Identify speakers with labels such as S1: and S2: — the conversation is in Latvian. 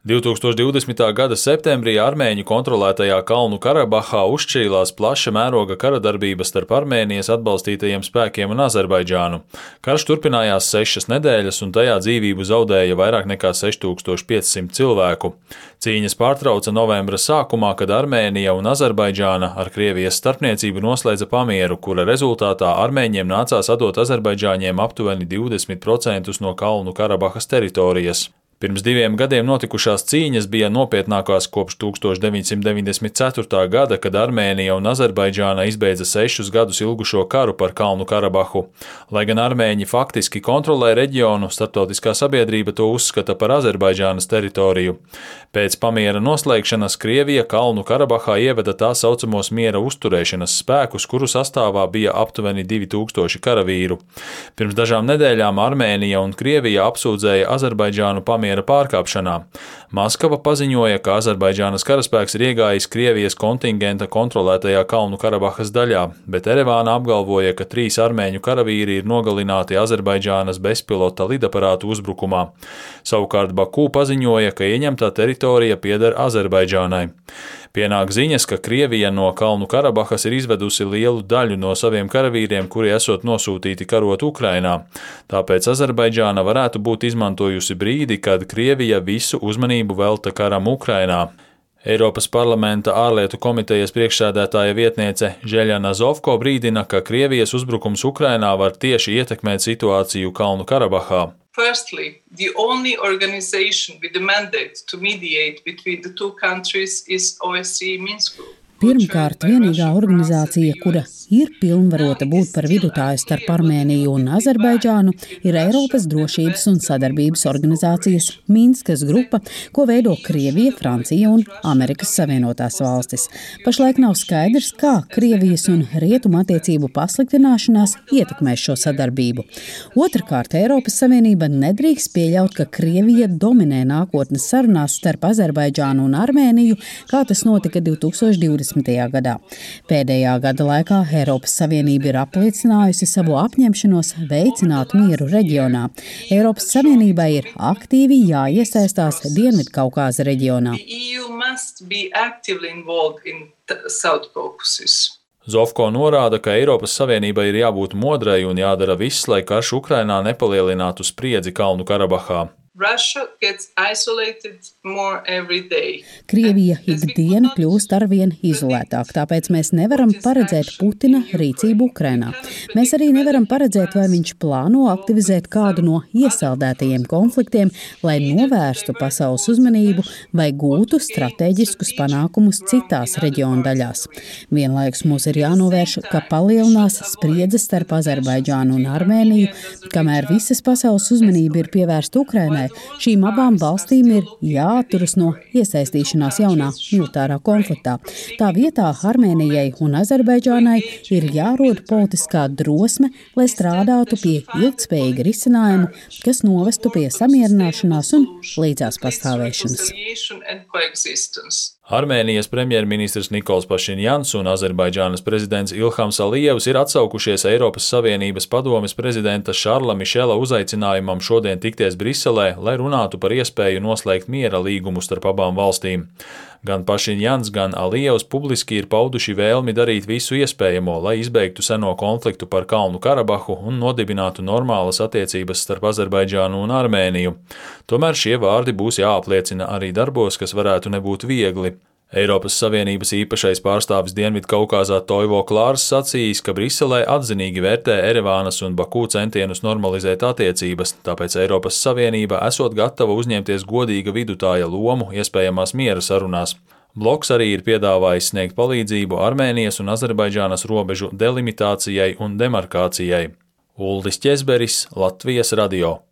S1: 2020. gada septembrī Armēņu kontrolētajā Kalnu Karabahā uzšķīlās plaša mēroga karadarbība starp Armēnijas atbalstītajiem spēkiem un Azerbaidžānu. Karš turpinājās 6 nedēļas, un tajā dzīvību zaudēja vairāk nekā 6500 cilvēku. Cīņas pārtrauca novembra sākumā, kad Armēnija un Azerbaidžāna ar Krievijas starpniecību noslēdza pamieru, kura rezultātā armēņiem nācās atdot azerbaidžāņiem aptuveni 20% no Kalnu Karabahas teritorijas. Pirms 2 gadiem notikušās cīņas bija nopietnākās kopš 1994. gada, kad Armēnija un Azerbaidžāna izbeidza 6 gadus ilgušo karu par Kalnu Karabahu. Lai gan armēņi faktiski kontrolē reģionu, starptautiskā sabiedrība to uzskata par Azerbaidžānas teritoriju. Pēc pamiera noslēgšanas Krievija Kalnu Karabahā ieveda tā saucamos miera uzturēšanas spēkus, kuru sastāvā bija aptuveni 2000 karavīru. Pirms dažām nedēļām Armēnija un Krievija apsūdzēja Azerbaidžānu pamiera pārkāpšanā. Maskava paziņoja, ka Azerbaidžānas karaspēks ir iegājis Krievijas kontingenta kontrolētajā Kalnu Karabahas daļā, bet Erevāna apgalvoja, ka 3 armēņu karavīri ir nogalināti Azerbaidžānas bezpilota lidaparātu uzbrukumā. Savukārt Baku paziņoja, ka ieņemtā teritorija pieder Azerbaidžānai. Pienāk ziņas, ka Krievija no Kalnu Karabahas ir izvedusi lielu daļu no saviem karavīriem, kuri esot nosūtīti karot Ukrainā. Tāpēc Azerbaidžāna varētu būt izmantojusi brīdi, kad Krievija visu uzmanību velta karam Ukrainā. Eiropas parlamenta ārlietu komitejas priekšsēdētāja vietniece Žeļana Zovko brīdina, ka Krievijas uzbrukums Ukrainā var tieši ietekmēt situāciju Kalnu Karabahā.
S2: Firstly, the only organization with the mandate to mediate between the two countries is OSCE Minsk Group.
S3: Pirmkārt, vienīgā organizācija, kura ir pilnvarota būt par vidutāju starp Armēniju un Azerbaidžānu, ir Eiropas drošības un sadarbības organizācijas Minskas grupa, ko veido Krievija, Francija un Amerikas Savienotās valstis. Pašlaik nav skaidrs, kā Krievijas un Rietumu attiecību pasliktināšanās ietekmēs šo sadarbību. Otrkārt, Eiropas Savienība nedrīkst pieļaut, ka Krievija dominē nākotnes sarunās starp Azerbaidžānu un Armēniju, kā tas notika 2020. gadā. Pēdējā gada laikā Eiropas Savienība ir apliecinājusi savu apņemšanos veicināt mieru reģionā. Eiropas Savienībai ir aktīvi jāiesaistās Dienvidkaukāza reģionā.
S1: Zovko norāda, ka Eiropas Savienībai ir jābūt modrai un jādara viss, lai karš Ukrainā nepalielinātu spriedzi Kalnu Karabahā.
S3: Krievija ikdiena kļūst arvien izolētāk, tāpēc mēs nevaram paredzēt Putina rīcību Ukrainā. Mēs arī nevaram paredzēt, vai viņš plāno aktivizēt kādu no iesaldētajiem konfliktiem, lai novērstu pasaules uzmanību vai gūtu strateģiskus panākumus citās reģiona daļās. Vienlaikus mums ir jānovērš, ka palielinās spriedze starp Azerbaidžānu un Armēniju, kamēr visas pasaules uzmanība ir pievērsta Ukrainai. Šīm abām valstīm ir jāatturas no iesaistīšanās jaunā militārā konfliktā. Tā vietā Armēnijai un Azerbaidžānai ir jārod politiskā drosme, lai strādātu pie ilgtspējīga risinājuma, kas novestu pie samierināšanās un līdzās pastāvēšanas.
S1: Armēnijas premjerministrs Nikols Pašinjans un Azerbaidžānas prezidents Ilhams Alijevs ir atsaukušies Eiropas Savienības padomes prezidenta Šarla Mišela uzaicinājumam šodien tikties Briselē, lai runātu par iespēju noslēgt miera līgumu starp abām valstīm. Gan Pašinjans, gan Alijevs publiski ir pauduši vēlmi darīt visu iespējamo, lai izbeigtu seno konfliktu par Kalnu Karabahu un nodibinātu normālas attiecības starp Azerbaidžānu un Armēniju. Tomēr šie vārdi būs jāapliecina arī darbos, kas varētu nebūt viegli. Eiropas Savienības īpašais pārstāvis Dienvidkaukāzā Toivo Klārs sacījis, ka Briselē atzinīgi vērtē Erevānas un Baku centienus normalizēt attiecības, tāpēc Eiropas Savienība esot gatava uzņemties godīga vidutāja lomu iespējamās miera sarunās. Bloks arī ir piedāvājis sniegt palīdzību Armēnijas un Azerbaidžānas robežu delimitācijai un demarkācijai. Uldis Ķezberis, Latvijas radio.